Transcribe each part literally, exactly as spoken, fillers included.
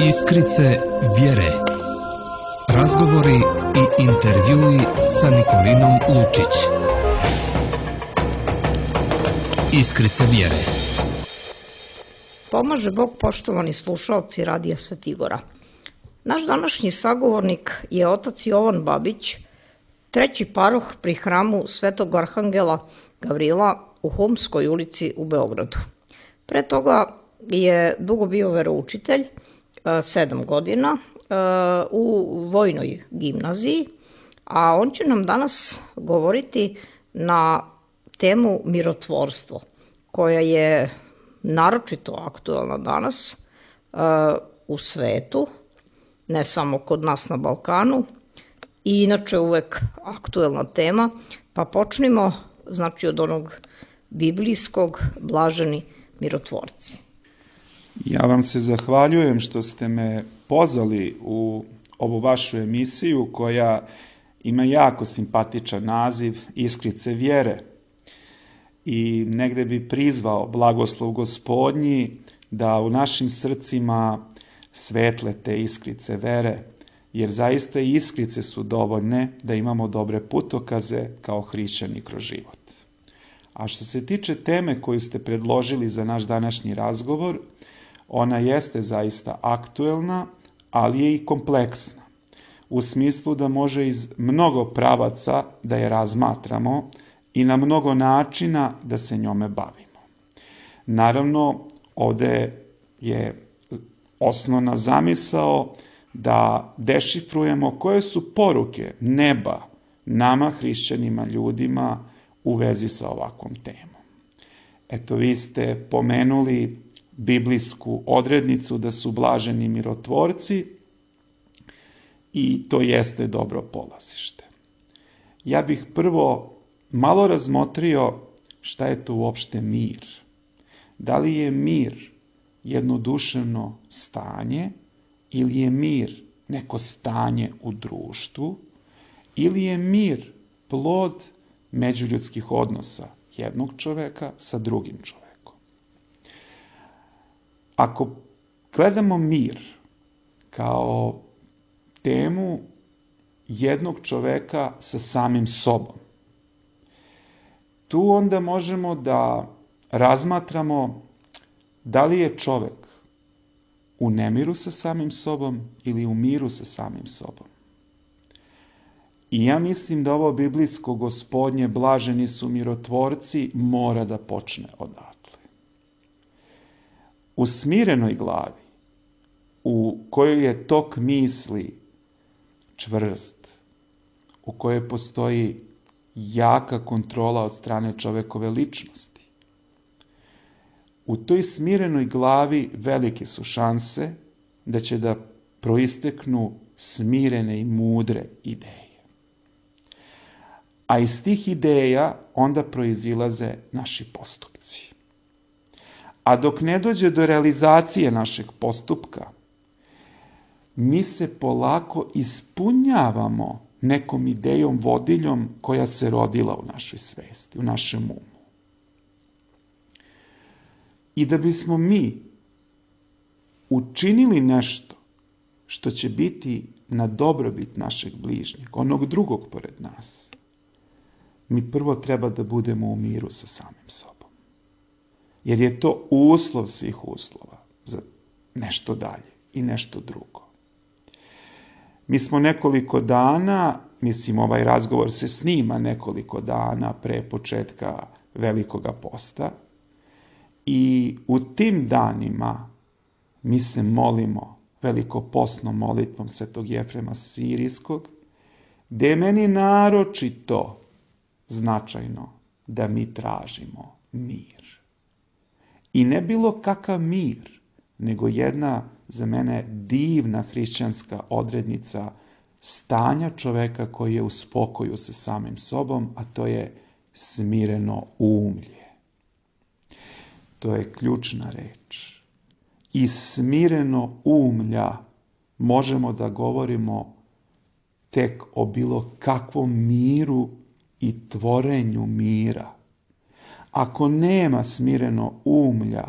Iskrice vjere. Razgovori i intervjui sa Nikolinom Lučić. Iskrice vjere. Pomaže Bog, poštovani slušalci Radija Svetigora. Naš današnji sagovornik je otac Jovan Babić, treći paroh pri hramu Svetog Arhangela Gavrila u Humskoj ulici u Beogradu. Pre toga je dugo bio veroučitelj, sedam godina, u vojnoj gimnaziji, a on će nam danas govoriti na temu mirotvorstvo, koja je naročito aktuelna danas u svetu, ne samo kod nas na Balkanu, i inače uvek aktuelna tema, pa počnimo znači od onog biblijskog blaženi mirotvorci. Ja vam se zahvaljujem što ste me pozvali u ovu vašu emisiju koja ima jako simpatičan naziv Iskrice vjere. I negde bi prizvao blagoslov Gospodnji da u našim srcima svetle te iskrice vere, jer zaista iskrice su dovoljne da imamo dobre putokaze kao hrišćani kroz život. A što se tiče teme koju ste predložili za naš današnji razgovor, ona jeste zaista aktuelna, ali je i kompleksna, u smislu da može iz mnogo pravaca da je razmatramo i na mnogo načina da se njome bavimo. Naravno, ovde je osnovna zamisao da dešifrujemo koje su poruke neba nama, hrišćanima, ljudima, u vezi sa ovakvom temom. Eto, vi ste pomenuli biblijsku odrednicu da su blaženi mirotvorci i to jeste dobro polazište. Ja bih prvo malo razmotrio šta je to uopšte mir. Da li je mir jedno duševno stanje ili je mir neko stanje u društvu ili je mir plod međuljudskih odnosa jednog čoveka sa drugim čovekom. Ako gledamo mir kao temu jednog čoveka sa samim sobom, tu onda možemo da razmatramo da li je čovek u nemiru sa samim sobom ili u miru sa samim sobom. I ja mislim da ovo biblijsko Gospodnje blaženi su mirotvorci mora da počne odatle. U smirenoj glavi, u kojoj je tok misli čvrst, u kojoj postoji jaka kontrola od strane čovekove ličnosti, u toj smirenoj glavi velike su šanse da će da proisteknu smirene i mudre ideje. A iz tih ideja onda proizilaze naši postupci. A dok ne dođe do realizacije našeg postupka, mi se polako ispunjavamo nekom idejom vodiljem koja se rodila u našoj svesti, u našem umu. I da bismo mi učinili nešto što će biti na dobrobit našeg bližnjeg, onog drugog pored nas, mi prvo treba da budemo u miru sa samim sobom. Jer je to uslov svih uslova za nešto dalje i nešto drugo. Mi smo nekoliko dana, mislim ovaj razgovor se snima nekoliko dana pre početka Velikoga posta, i u tim danima mi se molimo velikopostnom molitvom Svetog Jefrema Sirijskog, gde je meni naročito značajno da mi tražimo mir. I ne bilo kakav mir, nego jedna za mene divna hrišćanska odrednica stanja čoveka koji je u spokoju sa samim sobom, a to je smireno umlje. To je ključna reč. Iz smireno umlja možemo da govorimo tek o bilo kakvom miru i tvorenju mira. Ako nema smireno umlja,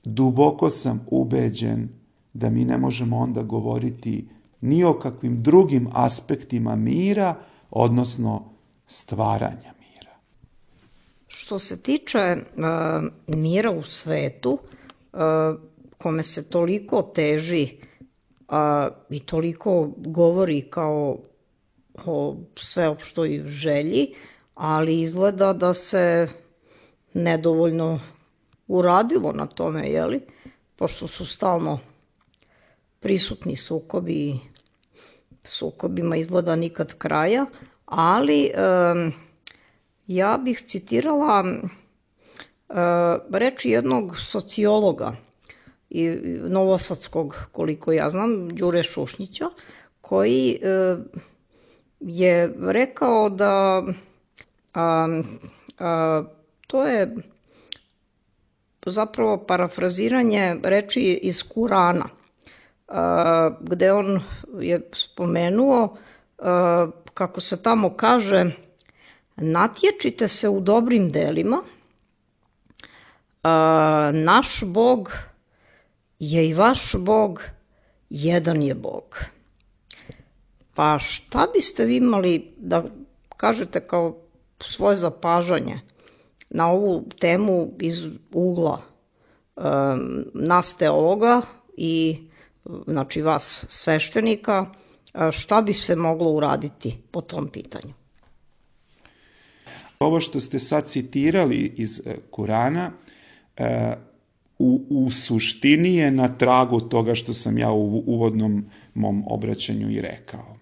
duboko sam ubeđen da mi ne možemo onda govoriti ni o kakvim drugim aspektima mira, odnosno stvaranja mira. Što se tiče uh, mira u svetu, uh, kome se toliko teži uh, i toliko govori kao o sveopštoj želji, ali izgleda da se nedovoljno uradilo na tome, jeli? Pošto su stalno prisutni sukobi, sukobima izgleda nikad kraja, ali um, ja bih citirala uh, reči jednog sociologa i novosadskog, koliko ja znam, Đure Šušnjića, koji uh, je rekao da um, uh, to je zapravo parafraziranje reči iz Kurana, gde on je spomenuo kako se tamo kaže: natječite se u dobrim delima, naš Bog je i vaš Bog, jedan je Bog. Pa šta biste vi imali da kažete kao svoje zapažanje na ovu temu iz ugla um, nas teologa i znači vas sveštenika, šta bi se moglo uraditi po tom pitanju? Ovo što ste sad citirali iz Kurana u, u suštini je na tragu toga što sam ja u uvodnom mom obraćanju i rekao.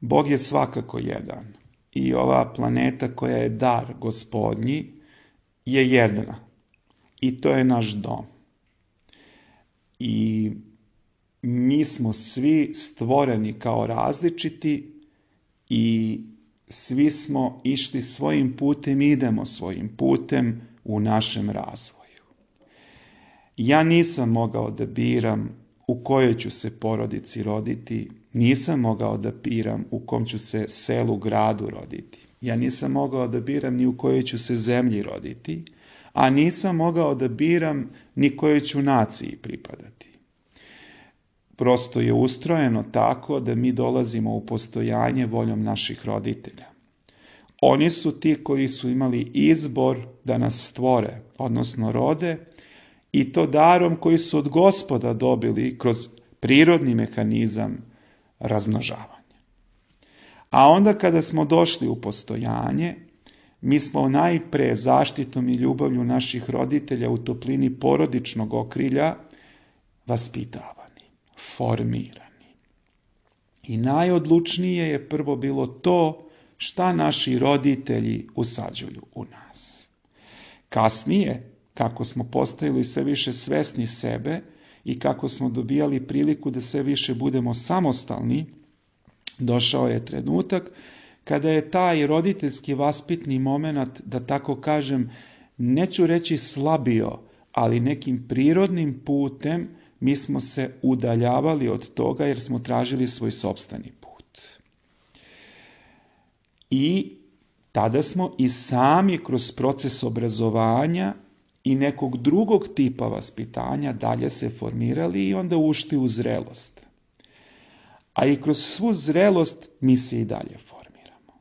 Bog je svakako jedan i ova planeta koja je dar Gospodnji je jedna i to je naš dom. I mi smo svi stvoreni kao različiti i svi smo išli svojim putem, idemo svojim putem u našem razvoju. Ja nisam mogao da biram u kojoj ću se porodici roditi, nisam mogao da biram u kom ću se selu, gradu roditi. Ja nisam mogao da biram ni u kojoj ću se zemlji roditi, a nisam mogao da biram ni kojoj ću naciji pripadati. Prosto je ustrojeno tako da mi dolazimo u postojanje voljom naših roditelja. Oni su ti koji su imali izbor da nas stvore, odnosno rode, i to darom koji su od Gospoda dobili kroz prirodni mehanizam razmnožavanja. A onda kada smo došli u postojanje, mi smo najpre zaštitom i ljubavlju naših roditelja u toplini porodičnog okrilja vaspitavani, formirani. I najodlučnije je prvo bilo to šta naši roditelji usađuju u nas. Kasnije, kako smo postajali sve više svesni sebe i kako smo dobijali priliku da sve više budemo samostalni, došao je trenutak kada je taj roditeljski vaspitni moment, da tako kažem, neću reći slabio, ali nekim prirodnim putem mi smo se udaljavali od toga jer smo tražili svoj sopstveni put. I tada smo i sami kroz proces obrazovanja i nekog drugog tipa vaspitanja dalje se formirali i onda ušli u zrelost. A i kroz svu zrelost mi se i dalje formiramo.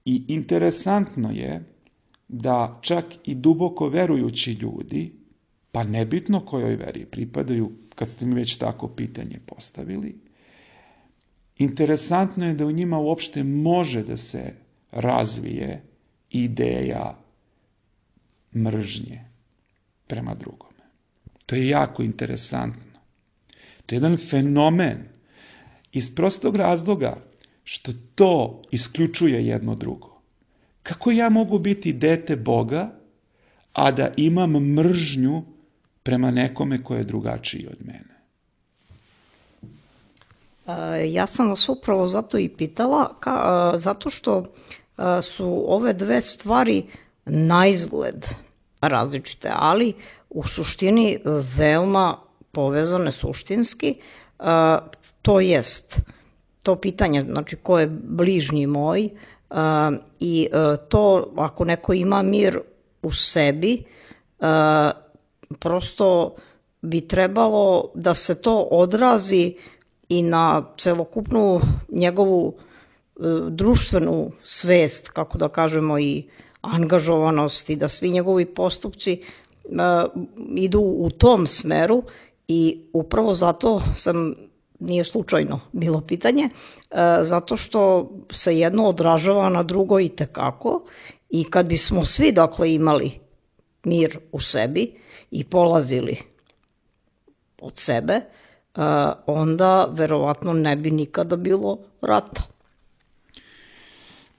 I interesantno je da čak i duboko verujući ljudi, pa nebitno kojoj veri pripadaju, kad ste mi već tako pitanje postavili, interesantno je da u njima uopšte može da se razvije ideja mržnje prema drugome. To je jako interesantno. To je jedan fenomen iz prostog razloga što to isključuje jedno drugo. Kako ja mogu biti dete Boga, a da imam mržnju prema nekome ko je drugačiji od mene? Ja sam vas upravo zato i pitala, ka, zato što su ove dve stvari naizgled različite, ali u suštini veoma povezane suštinski, to jest to pitanje, znači ko je bližnji moj, i to ako neko ima mir u sebi, prosto bi trebalo da se to odrazi i na celokupnu njegovu društvenu svest, kako da kažemo, i angažovanost, i da svi njegovi postupci idu u tom smeru, i upravo zato sam, nije slučajno bilo pitanje, zato što se jedno odražava na drugo i tekako, i kad bismo svi dakle imali mir u sebi i polazili od sebe, onda verovatno ne bi nikada bilo rata.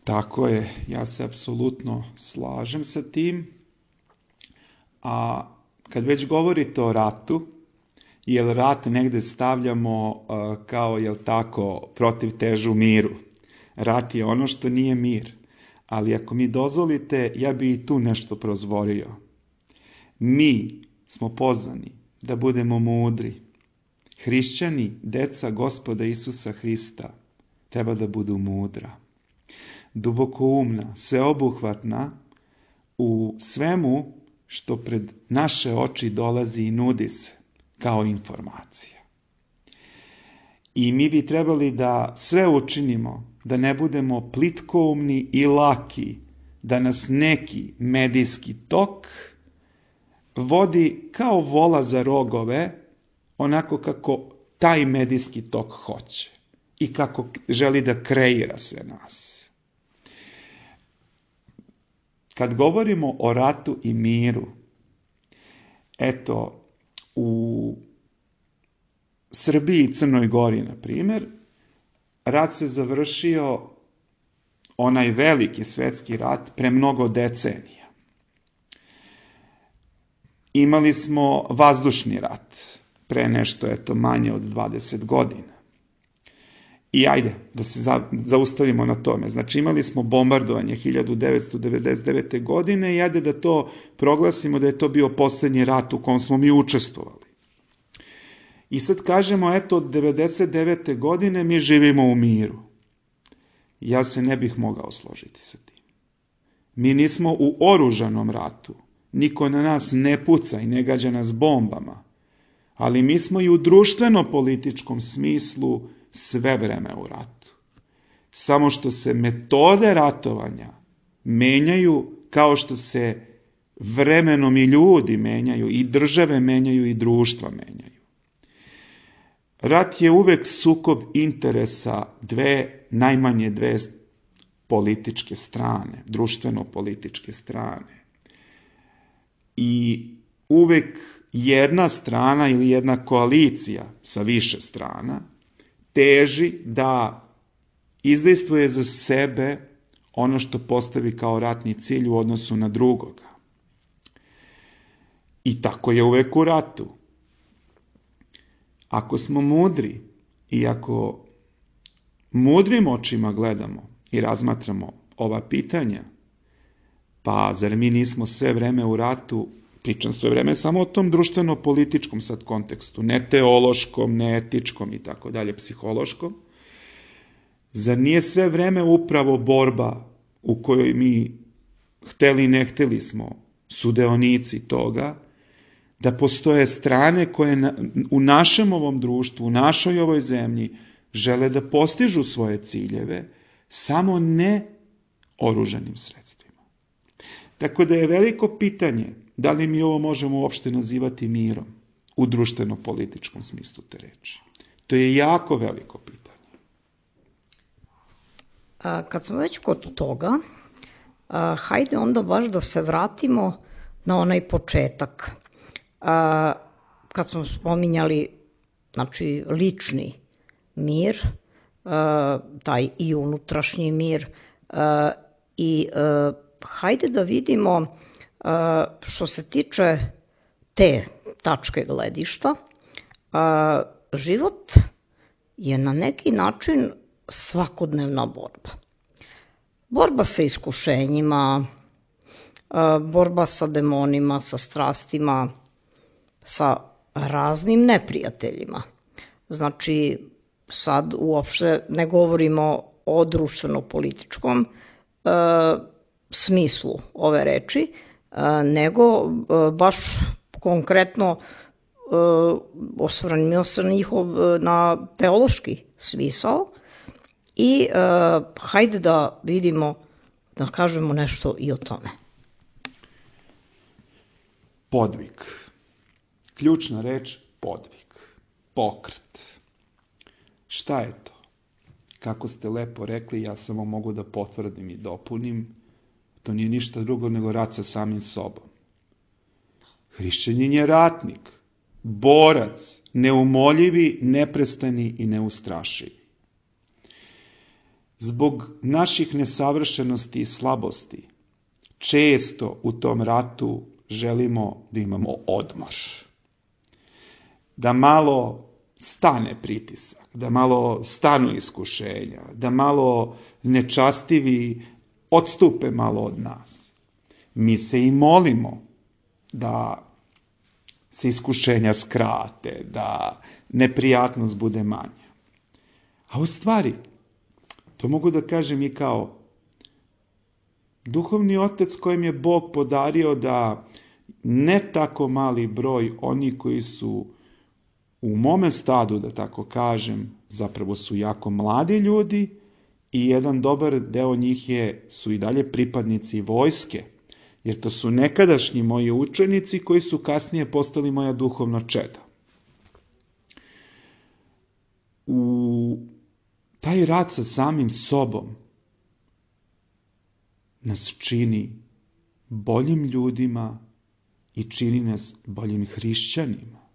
Tako je, ja se apsolutno slažem sa tim. A kad već govorite o ratu, jel rat negde stavljamo uh, kao, jel tako, protiv težu miru. Rat je ono što nije mir. Ali ako mi dozvolite, ja bi i tu nešto prozvorio. Mi smo pozvani da budemo mudri. Hrišćani, deca Gospoda Isusa Hrista, treba da budu mudra, dubokoumna, sveobuhvatna u svemu što pred naše oči dolazi i nudi se kao informacija. I mi bi trebali da sve učinimo, da ne budemo plitkoumni i laki, da nas neki medijski tok vodi kao vola za rogove, onako kako taj medijski tok hoće i kako želi da kreira sve nas. Kad govorimo o ratu i miru, eto, u Srbiji i Crnoj Gori, na primjer, rat se završio, onaj veliki svetski rat, pre mnogo decenija. Imali smo vazdušni rat, pre nešto, eto, manje od dvadeset godina. I ajde, da se zaustavimo na tome. Znači, imali smo bombardovanje hiljadu devetsto devedeset devete. godine i ajde da to proglasimo da je to bio poslednji rat u kom smo mi učestvovali. I sad kažemo, eto, od devedeset devete. godine mi živimo u miru. Ja se ne bih mogao složiti sa tim. Mi nismo u oružanom ratu. Niko na nas ne puca i ne gađa nas bombama. Ali mi smo i u društveno-političkom smislu sve vreme u ratu. Samo što se metode ratovanja menjaju kao što se vremenom i ljudi menjaju, i države menjaju, i društva menjaju. Rat je uvek sukob interesa dve, najmanje dve političke strane, društveno-političke strane. I uvek jedna strana ili jedna koalicija sa više strana teži da izdejstvuje za sebe ono što postavi kao ratni cilj u odnosu na drugoga. I tako je uvek u ratu. Ako smo mudri i ako mudrim očima gledamo i razmatramo ova pitanja, pa zar mi nismo sve vreme u ratu, pričam sve vreme samo o tom društveno-političkom sad kontekstu, ne teološkom, ne etičkom i tako dalje, psihološkom, zar nije sve vreme upravo borba u kojoj mi hteli i ne hteli smo sudeonici toga, da postoje strane koje na, u našem ovom društvu, u našoj ovoj zemlji žele da postižu svoje ciljeve, samo ne oružanim sredstvima. Tako da je veliko pitanje da li mi ovo možemo uopšte nazivati mirom u društveno-političkom smislu te reči. To je jako veliko pitanje. A, kad smo već kod toga, a, hajde onda baš da se vratimo na onaj početak. A, kad smo spominjali, znači, lični mir, a, taj i unutrašnji mir, a, i a, hajde da vidimo, a, što se tiče te tačke gledišta, a, život je na neki način svakodnevna borba. Borba sa iskušenjima, a, borba sa demonima, sa strastima, sa raznim neprijateljima. Znači, sad uopšte ne govorimo o društveno-političkom e, smislu ove reči, e, nego e, baš konkretno osvrnimo se na njihov na teološki smisao i hajde da vidimo, da kažemo nešto i o tome. Podvig. Ključna reč podvig. Pokret. Šta je to? Kako ste lepo rekli, ja samo mogu da potvrdim i dopunim, to nije ništa drugo nego rat sa samim sobom. Hrišćanin je ratnik, borac, neumoljivi, neprestani i neustrašivi. Zbog naših nesavršenosti i slabosti, često u tom ratu želimo da imamo odmor. Da malo stane pritisak, da malo stanu iskušenja, da malo nečastivi odstupe malo od nas. Mi se i molimo da se iskušenja skrate, da neprijatnost bude manja. A u stvari, to mogu da kažem i kao duhovni otac kojem je Bog podario da ne tako mali broj oni koji su u mome stadu, da tako kažem, zapravo su jako mladi ljudi i jedan dobar deo njih je, su i dalje pripadnici vojske, jer to su nekadašnji moji učenici koji su kasnije postali moja duhovna čeda. U taj rad sa samim sobom nas čini boljim ljudima i čini nas boljim hrišćanima.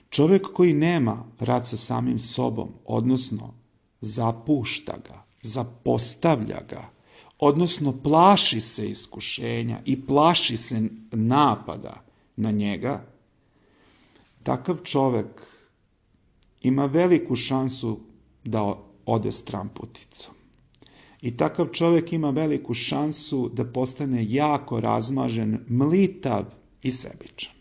Čovek koji nema rad sa samim sobom, odnosno zapušta ga, zapostavlja ga, odnosno plaši se iskušenja i plaši se napada na njega, takav čovek ima veliku šansu da ode stramputicom. I takav čovek ima veliku šansu da postane jako razmažen, mlitav i sebičan.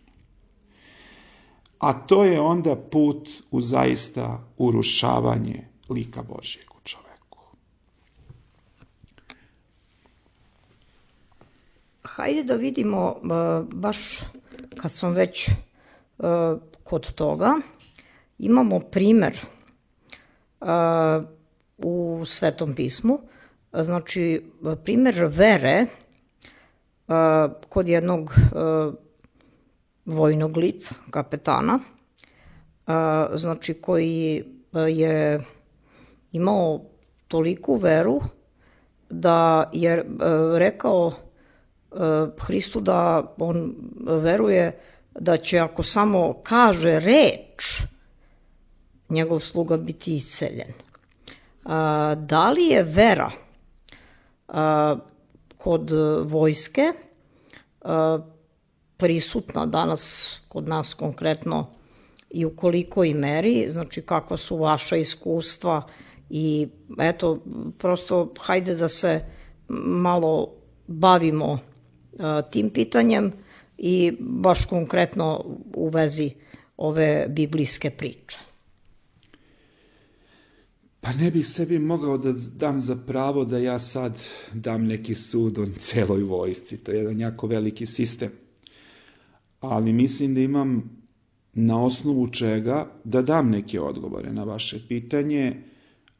A to je onda put u zaista urušavanje lika Božjeg u čoveku. Hajde da vidimo, baš kad sam već kod toga, imamo primer u Svetom pismu, znači primer vere kod jednog vojnog lica, kapetana, znači koji je imao toliku veru da je rekao Hristu da on veruje da će ako samo kaže reč, njegov sluga biti isceljen. Da li je vera kod vojske prisutna danas kod nas konkretno i u kolikoj meri, znači kakva su vaša iskustva i eto, prosto hajde da se malo bavimo tim pitanjem i baš konkretno u vezi ove biblijske priče. Pa ne bih sebi mogao da dam za pravo da ja sad dam neki sud o celoj vojsci, to je jedan jako veliki sistem. Ali mislim da imam na osnovu čega da dam neke odgovore na vaše pitanje,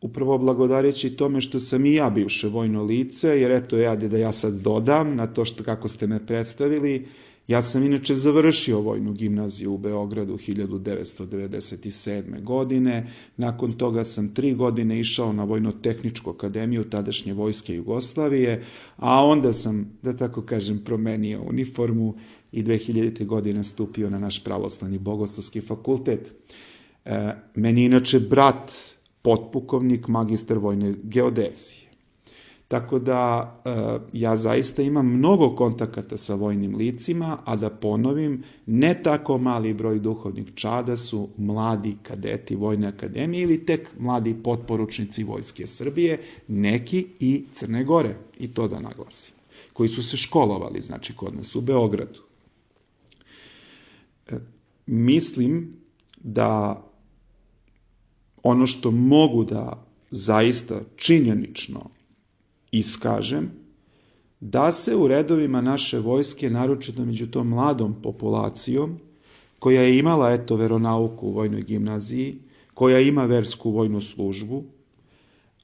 upravo blagodareći tome što sam i ja bivše vojno lice, jer eto ja da ja sad dodam na to što kako ste me predstavili, ja sam inače završio vojnu gimnaziju u Beogradu hiljadu devetsto devedeset sedme. godine, nakon toga sam tri godine išao na Vojno-tehničku akademiju tadašnje vojske Jugoslavije, a onda sam, da tako kažem, promenio uniformu i dve hiljadite. godine stupio na naš pravoslavni bogoslovski fakultet. E, meni inače brat potpukovnik, magistar vojne geodezije. Tako da e, ja zaista imam mnogo kontakata sa vojnim licima, a da ponovim, ne tako mali broj duhovnih čada su mladi kadeti Vojne akademije ili tek mladi potporučnici Vojske Srbije, neki i Crne Gore, i to da naglasim, koji su se školovali, znači kod nas u Beogradu. E, mislim da ono što mogu da zaista činjenično iskažem, da se u redovima naše vojske, naročito među tom mladom populacijom, koja je imala eto veronauku u vojnoj gimnaziji, koja ima versku vojnu službu,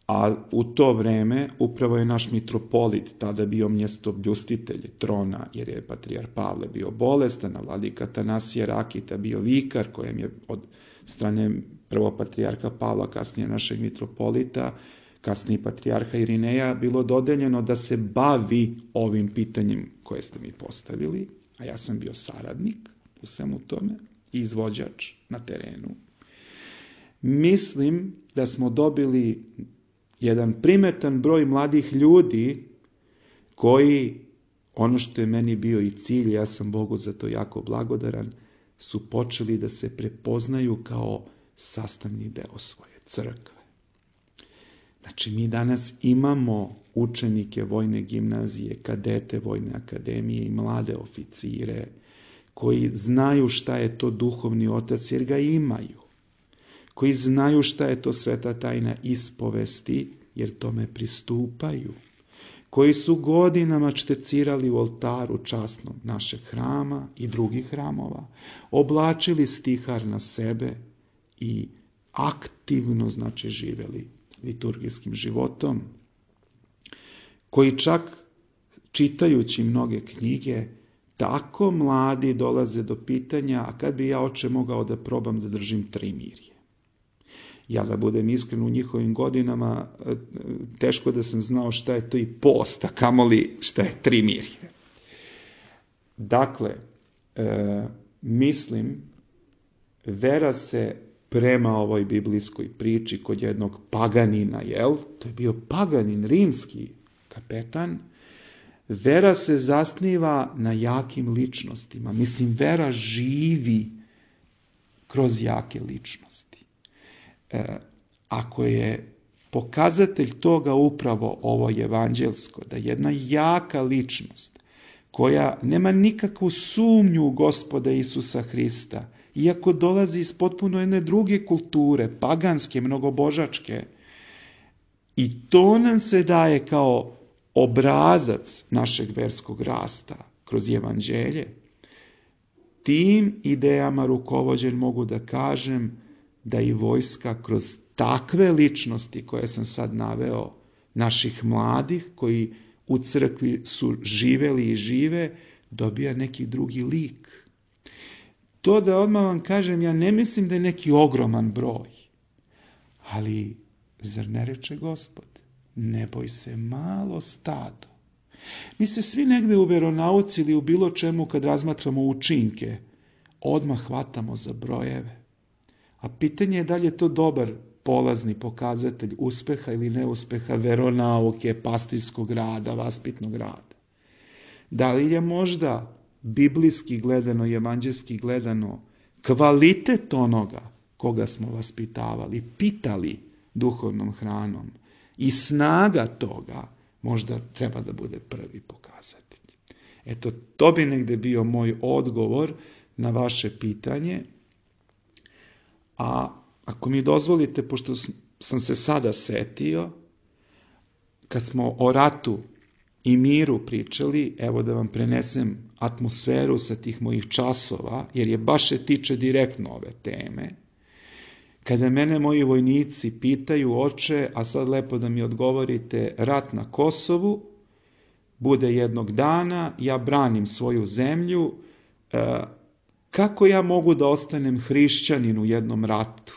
a u to vreme upravo je naš mitropolit tada bio mjestoobljustitelj trona, jer je patrijar Pavle bio bolestan, a vladika Atanasije Rakita bio vikar, kojem je od strane prvo patrijarha Pavla, kasnije našeg mitropolita, kasnije patrijarha Irineja, bilo dodeljeno da se bavi ovim pitanjem koje ste mi postavili, a ja sam bio saradnik u svemu tome, izvođač na terenu. Mislim da smo dobili jedan primetan broj mladih ljudi koji, ono što je meni bio i cilj, ja sam Bogu za to jako blagodaran, su počeli da se prepoznaju kao sastavni deo svoje crkve. Znači, mi danas imamo učenike vojne gimnazije, kadete vojne akademije i mlade oficire koji znaju šta je to duhovni otac, jer ga imaju. Koji znaju šta je to sveta tajna ispovesti, jer tome pristupaju. Koji su godinama čtecirali u oltaru časnom našeg hrama i drugih hramova, oblačili stihar na sebe i aktivno, znači, živeli liturgijskim životom, koji čak čitajući mnoge knjige, tako mladi dolaze do pitanja, a kad bi ja, oče, mogao da probam da držim trimirje? Ja, da budem iskren, u njihovim godinama teško da sam znao šta je to i post, a kamoli šta je trimirje. Dakle, e, mislim, vera se prema ovoj biblijskoj priči kod jednog paganina, jel? To je bio paganin, rimski kapetan. Vera se zasniva na jakim ličnostima. Mislim, vera živi kroz jake ličnosti. E, ako je pokazatelj toga upravo ovo evanđelsko, da jedna jaka ličnost, koja nema nikakvu sumnju u Gospoda Isusa Hrista, iako dolazi iz potpuno jedne druge kulture, paganske, mnogobožačke, i to nam se daje kao obrazac našeg verskog rasta kroz evanđelje, tim idejama rukovođen mogu da kažem da i vojska kroz takve ličnosti koje sam sad naveo, naših mladih koji u crkvi su živeli i žive, dobija neki drugi lik. To da odmah vam kažem, ja ne mislim da je neki ogroman broj, ali zar ne reče Gospod, ne boj se malo stado. Mi se svi negde u veronauci ili u bilo čemu kad razmatramo učinke, odmah hvatamo za brojeve. A pitanje je da li je to dobar polazni pokazatelj uspeha ili neuspeha veronauke, pastirskog rada, vaspitnog rada. Da li je možda biblijski gledano i evanđelski gledano kvalitet onoga koga smo vaspitavali, pitali duhovnom hranom i snaga toga možda treba da bude prvi pokazatelj. Eto, to bi negde bio moj odgovor na vaše pitanje. A ako mi dozvolite, pošto sam se sada setio, kad smo o ratu i miru pričali, evo da vam prenesem atmosferu sa tih mojih časova, jer je baš se tiče direktno ove teme. Kada mene moji vojnici pitaju, oče, a sad lepo da mi odgovorite, rat na Kosovu, bude jednog dana, ja branim svoju zemlju, e, kako ja mogu da ostanem hrišćanin u jednom ratu?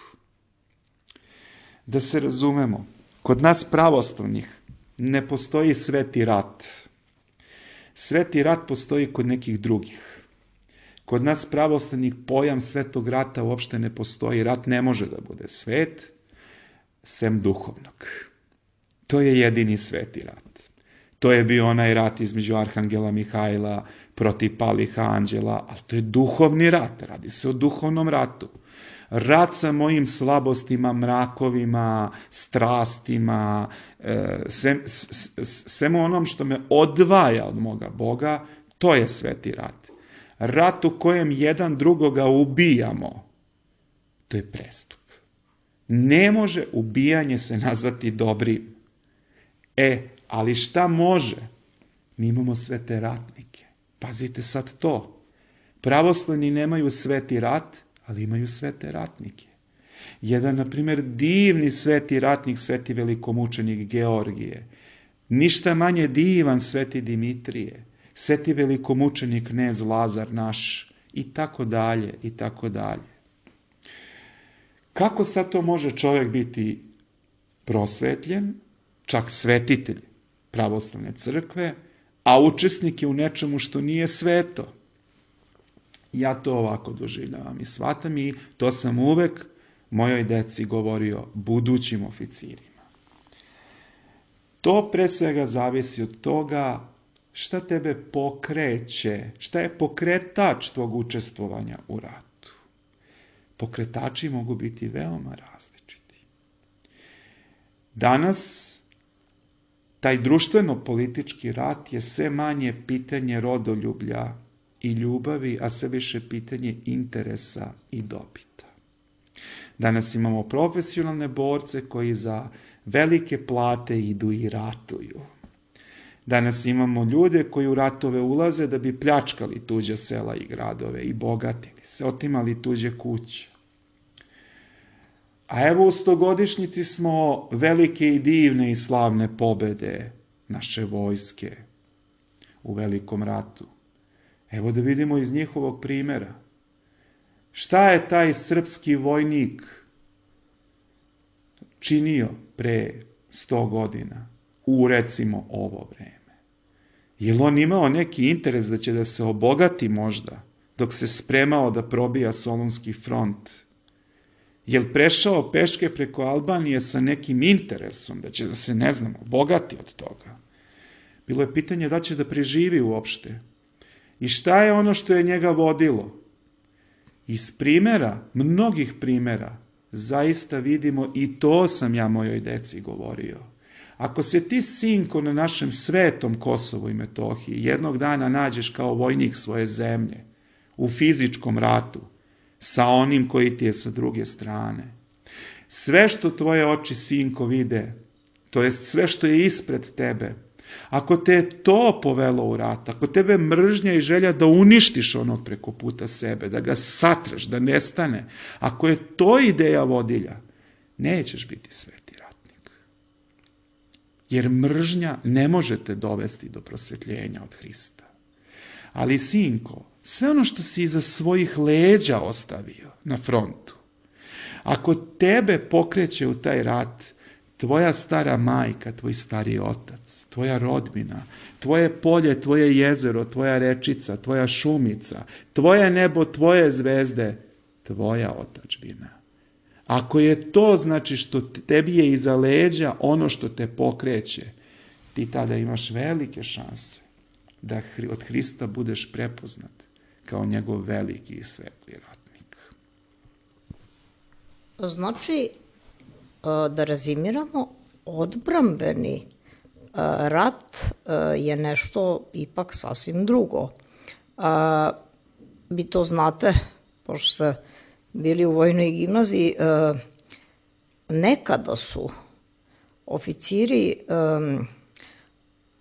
Da se razumemo, kod nas pravoslavnih ne postoji sveti rat. Sveti rat postoji kod nekih drugih. Kod nas pravoslavnih pojam svetog rata uopšte ne postoji. Rat ne može da bude svet, sem duhovnog. To je jedini sveti rat. To je bio onaj rat između arhangela Mihajla protiv palih anđela, ali to je duhovni rat, radi se o duhovnom ratu. Rat sa mojim slabostima, mrakovima, strastima, svem, svemu onom što me odvaja od moga Boga, to je sveti rat. Rat u kojem jedan drugoga ubijamo, to je prestup. Ne može ubijanje se nazvati dobrim. E, ali šta može? Mi imamo sve te ratnike. Pazite sad to. Pravoslavni nemaju sveti rat, ali imaju svete ratnike. Jedan, na primjer, divni sveti ratnik, sveti velikomučenik Georgije, ništa manje divan sveti Dimitrije, sveti velikomučenik knez Lazar naš, i tako dalje, i tako dalje. Kako sad to može čovjek biti prosvetljen, čak svetitelj pravoslavne crkve, a učesnik je u nečemu što nije sveto? Ja to ovako doživljavam i shvatam, i to sam uvek mojoj deci govorio, budućim oficirima. To pre svega zavisi od toga šta tebe pokreće, šta je pokretač tvog učestvovanja u ratu. Pokretači mogu biti veoma različiti. Danas taj društveno-politički rat je sve manje pitanje rodoljublja i ljubavi, a sve više pitanje interesa i dobita. Danas imamo profesionalne borce koji za velike plate idu i ratuju. Danas imamo ljude koji u ratove ulaze da bi pljačkali tuđa sela i gradove i bogatili se, otimali tuđe kuće. A evo u stogodišnjici smo velike i divne i slavne pobede naše vojske u velikom ratu. Evo da vidimo iz njihovog primjera. Šta je taj srpski vojnik činio pre sto godina u recimo ovo vreme? Je li on imao neki interes da će da se obogati možda dok se spremao da probija Solunski front? Je li prešao peške preko Albanije sa nekim interesom da će da se, ne znam, obogati od toga? Bilo je pitanje da će da preživi uopšte. I šta je ono što je njega vodilo? Iz primjera, mnogih primjera, zaista vidimo, i to sam ja mojoj deci govorio. Ako se ti, sinko, na našem svetom Kosovu i Metohiji jednog dana nađeš kao vojnik svoje zemlje u fizičkom ratu sa onim koji ti je sa druge strane, sve što tvoje oči, sinko, vide, to jest sve što je ispred tebe, ako te je to povelo u rat, ako tebe mržnja i želja da uništiš onog preko puta sebe, da ga satreš, da nestane, ako je to ideja vodilja, nećeš biti sveti ratnik. Jer mržnja ne može te dovesti do prosvetljenja od Hrista. Ali, sinko, sve ono što si iza svojih leđa ostavio na frontu, ako tebe pokreće u taj rat, tvoja stara majka, tvoj stari otac, tvoja rodbina, tvoje polje, tvoje jezero, tvoja rečica, tvoja šumica, tvoje nebo, tvoje zvezde, tvoja otadžbina. Ako je to, znači, što tebi je iza leđa ono što te pokreće, ti tada imaš velike šanse da od Hrista budeš prepoznat kao njegov veliki i svetli ratnik. Znači, da rezimiramo, odbrambeni rat je nešto ipak sasvim drugo. Vi to znate, pošto ste bili u vojnoj gimnaziji, nekada su oficiri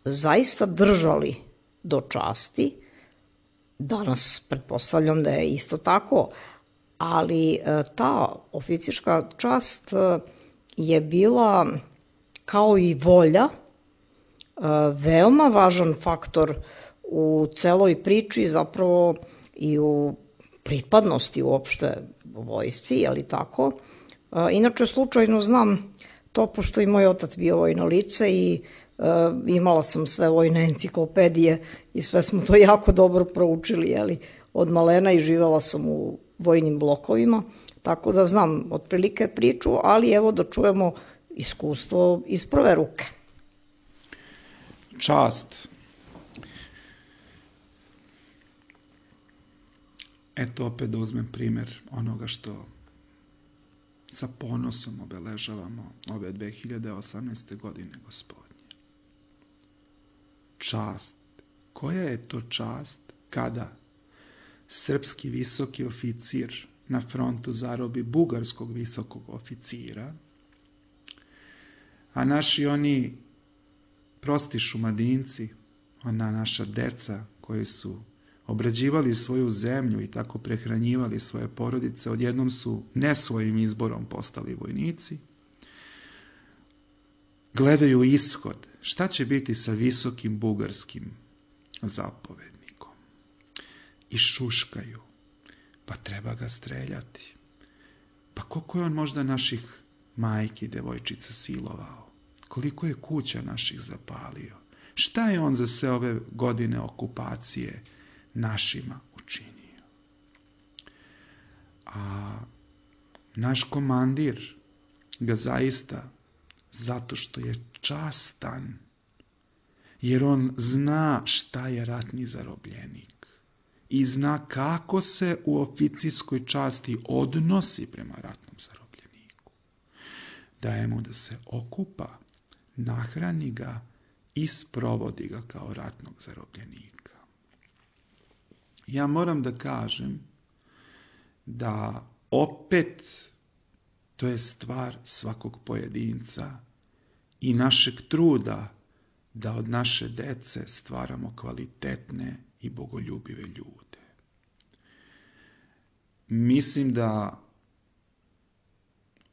zaista držali do časti, danas pretpostavljam da je isto tako, ali ta oficirska čast je bila, kao i volja, veoma važan faktor u celoj priči, zapravo i u pripadnosti uopšte vojsci, je li tako? Inače, slučajno znam to, pošto i moj otac bio vojno lice i imala sam sve vojne enciklopedije i sve smo to jako dobro proučili, je li, od malena, i živela sam u vojnim blokovima, tako da znam otprilike priču, ali evo da čujemo iskustvo iz prve ruke. Čast. Eto opet da uzmem primjer onoga što sa ponosom obeležavamo ove dve hiljade osamnaeste. godine, Gospodnje. Čast. Koja je to čast kada srpski visoki oficir na frontu zarobi bugarskog visokog oficira, a naši oni prosti šumadinci, ona naša deca koji su obrađivali svoju zemlju i tako prehranjivali svoje porodice, odjednom su ne svojim izborom postali vojnici. Gledaju ishod. Šta će biti sa visokim bugarskim zapovednikom? I šuškaju. Pa treba ga streljati. Pa koliko je on možda naših majki, devojčica silovao? Koliko je kuća naših zapalio? Šta je on za sve ove godine okupacije našima učinio? A naš komandir ga zaista, zato što je častan, jer on zna šta je ratni zarobljenik i zna kako se u oficirskoj časti odnosi prema ratnom zarobljeniku. Daje mu da se okupa, nahrani ga i sprovodi ga kao ratnog zarobljenika. Ja moram da kažem da opet to je stvar svakog pojedinca i našeg truda da od naše dece stvaramo kvalitetne i bogoljubive ljude. Mislim da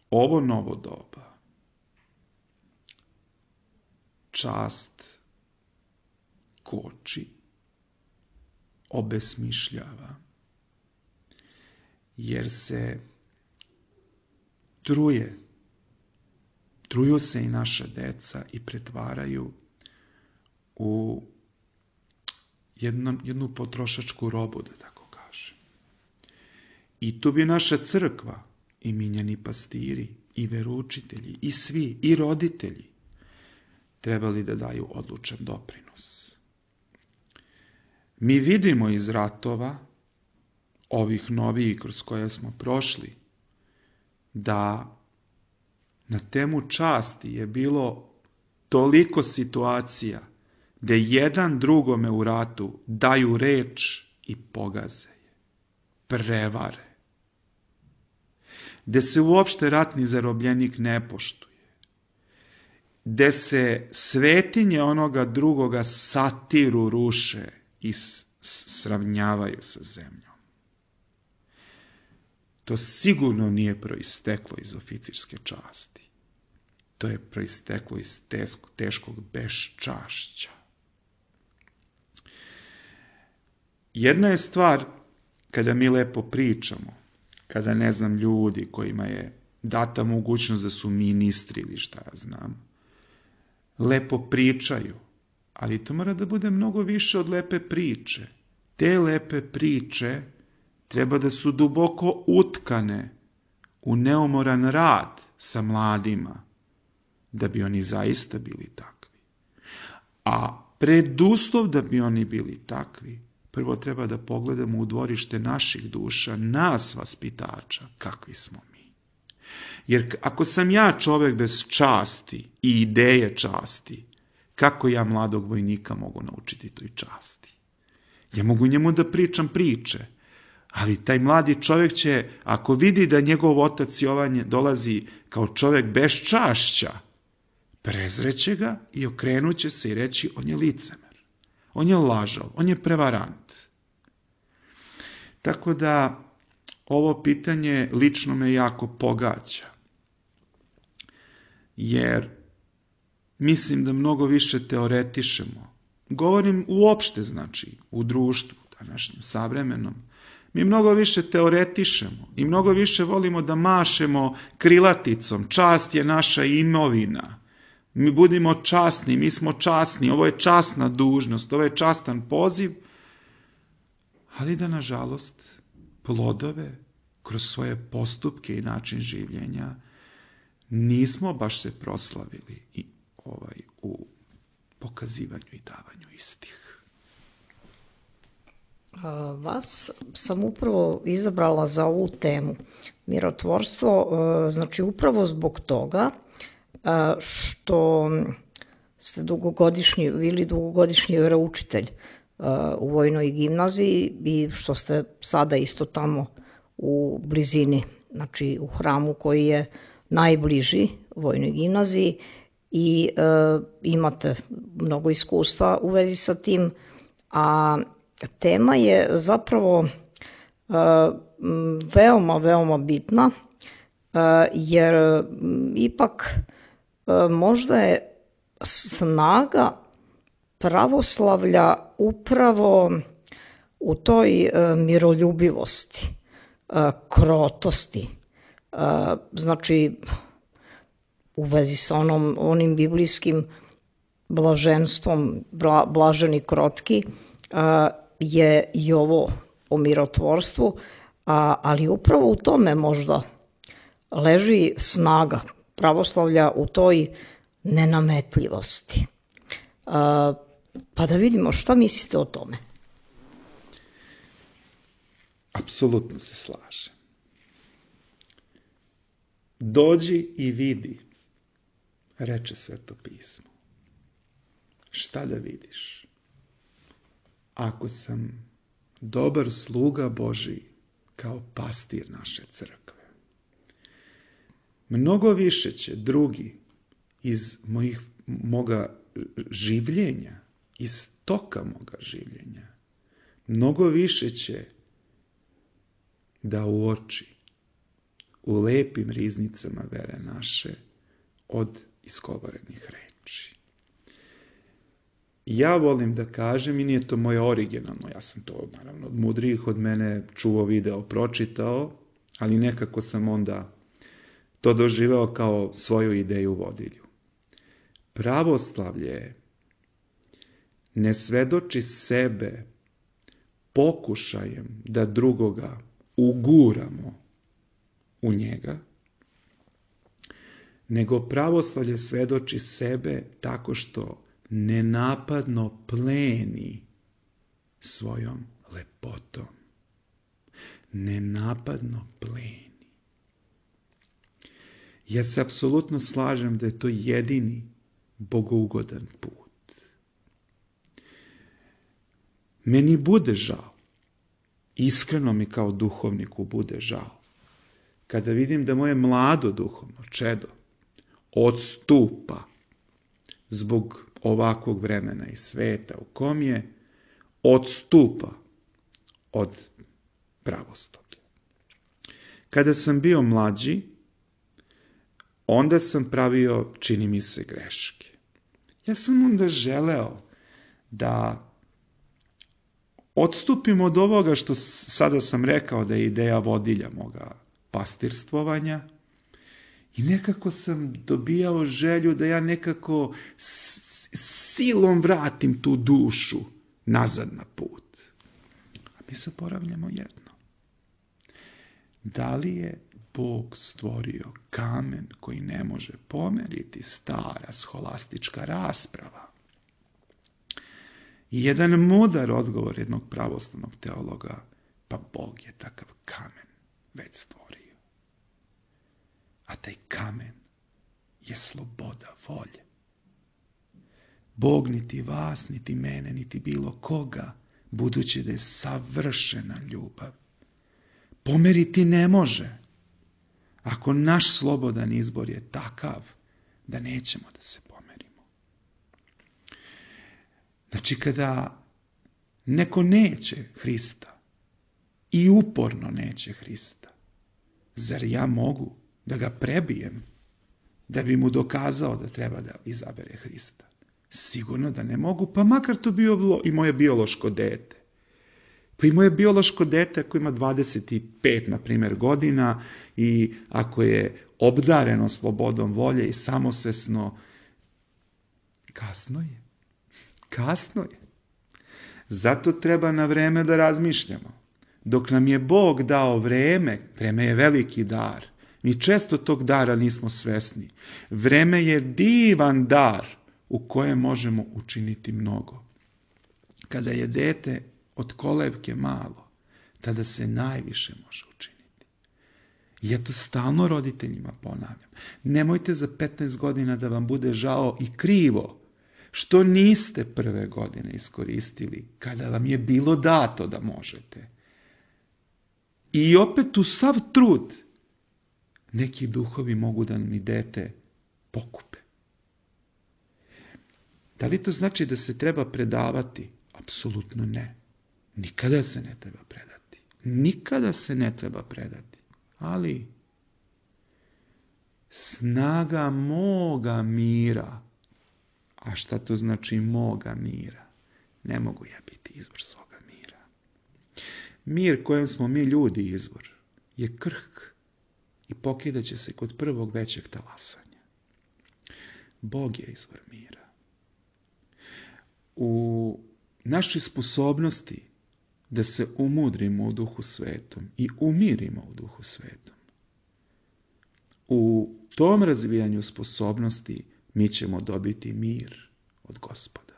ovo novo doba čast koči, obesmišljava, jer se truje, truju se i naša deca i pretvaraju u jednu, jednu potrošačku robu, da tako kažem. I tu bi naša crkva, i minjani pastiri, i veroučitelji, i svi, i roditelji, trebali da daju odlučan doprinos. Mi vidimo iz ratova, ovih novijih kroz koje smo prošli, da na temu časti je bilo toliko situacija gde jedan drugome u ratu daju reč i pogaze je, prevare. Gde se uopšte ratni zarobljenik ne poštuje. Gde se svetinje onoga drugoga satiru ruše i sravnjavaju sa zemljom. To sigurno nije proisteklo iz oficirske časti. To je proisteklo iz teškog beščašća. Jedna je stvar kada mi lepo pričamo, kada ne znam ljudi kojima je data mogućnost da su ministri ili šta ja znam, lepo pričaju, ali to mora da bude mnogo više od lepe priče. Te lepe priče treba da su duboko utkane u neumoran rad sa mladima, da bi oni zaista bili takvi. A preduslov da bi oni bili takvi, prvo treba da pogledamo u dvorište naših duša, nas vaspitača, kakvi smo mi. Jer ako sam ja čovek bez časti i ideje časti, kako ja mladog vojnika mogu naučiti toj časti? Ja mogu njemu da pričam priče, ali taj mladi čovjek će, ako vidi da njegov otac Jovan dolazi kao čovjek bez čašća, prezreće ga i okrenuće se i reći on je licemer, on je lažov, on je prevarant. Tako da ovo pitanje lično me jako pogađa, jer mislim da mnogo više teoretišemo. Govorim uopšte, znači, u društvu, današnjem, savremenom. Mi mnogo više teoretišemo i mnogo više volimo da mašemo krilaticom. Čast je naša imovina. Mi budimo časni, mi smo časni, ovo je časna dužnost, ovo je častan poziv, ali da, nažalost, plodove kroz svoje postupke i način življenja nismo baš se proslavili i ovaj u pokazivanju i davanju istih. Vas sam upravo izabrala za ovu temu mirotvorstvo, znači upravo zbog toga što ste dugogodišnji, bili dugogodišnji veroučitelj u vojnoj gimnaziji i što ste sada isto tamo u blizini, znači u hramu koji je najbliži vojnoj gimnaziji i e, imate mnogo iskustva u vezi sa tim, a tema je zapravo veoma, veoma bitna, jer ipak možda je snaga pravoslavlja upravo u toj miroljubivosti, krotosti, znači u vezi sa onom, onim biblijskim blaženstvom, bla, blaženi krotki, je i ovo o mirotvorstvu, ali upravo u tome možda leži snaga pravoslavlja, u toj nenametljivosti. Pa da vidimo šta mislite o tome. Apsolutno se slažem. Dođi i vidi, reče Sveto pismo. Šta da vidiš? Ako sam dobar sluga Božiji kao pastir naše crkve, mnogo više će drugi iz mojih, moga življenja, iz toka moga življenja, mnogo više će da uoči u lepim riznicama vere naše od izgovorenih reči. Ja volim da kažem, i nije to moje originalno, ja sam to naravno od mudrijih od mene čuo, video, pročitao, ali nekako sam onda to doživeo kao svoju ideju vodilju. Pravoslavlje ne svedoči sebe pokušajem da drugoga uguramo u njega, nego pravoslavlje svedoči sebe tako što nenapadno pleni svojom lepotom. Nenapadno pleni. Ja se apsolutno slažem da je to jedini bogougodan put. Meni bude žao, iskreno mi kao duhovniku bude žao, kada vidim da moje mlado duhovno čedo odstupa zbog ovakvog vremena i sveta u kom je, odstupa od pravoslavlja. Kada sam bio mlađi, onda sam pravio, čini mi se, greške. Ja sam onda želeo da odstupim od ovoga što sada sam rekao da je ideja vodilja moga pastirstvovanja, i nekako sam dobijao želju da ja nekako silom vratim tu dušu nazad na put. A mi zaboravljamo jedno. Da li je Bog stvorio kamen koji ne može pomeriti? Stara scholastička rasprava. I jedan mudar odgovor jednog pravoslavnog teologa, pa Bog je takav kamen već stvorio. A taj kamen je sloboda volje. Bog niti vas, niti mene, niti bilo koga, budući da je savršena ljubav, pomeriti ne može, ako naš slobodan izbor je takav da nećemo da se pomerimo. Znači, kada neko neće Hrista i uporno neće Hrista, zar ja mogu da ga prebijem, da bi mu dokazao da treba da izabere Hrista? Sigurno da ne mogu, pa makar to bio i moje biološko dete. Pa i moje biološko dete ako ima dvadeset pet, na primjer, godina i ako je obdareno slobodom volje i samosvesno, kasno je. Kasno je. Zato treba na vreme da razmišljamo. Dok nam je Bog dao vreme, vreme je veliki dar. Mi često tog dara nismo svesni. Vreme je divan dar u kojem možemo učiniti mnogo. Kada je dete od kolevke malo, tada se najviše može učiniti. I ja to stalno roditeljima ponavljam. Nemojte za petnaest godina da vam bude žao i krivo što niste prve godine iskoristili kada vam je bilo dato da možete. I opet u sav trud neki duhovi mogu da mi dete pokupe. Da li to znači da se treba predavati? Apsolutno ne. nikada se ne treba predati. Nikada se ne treba predati. Ali snaga moga mira. A šta to znači moga mira? Ne mogu ja biti izvor svoga mira. Mir kojem smo mi ljudi izvor je krhk i pokidaće se kod prvog većeg talasanja. Bog je izvor mira. U našoj sposobnosti da se umudrimo u Duhu Svetom i umirimo u Duhu Svetom, u tom razvijanju sposobnosti mi ćemo dobiti mir od Gospoda.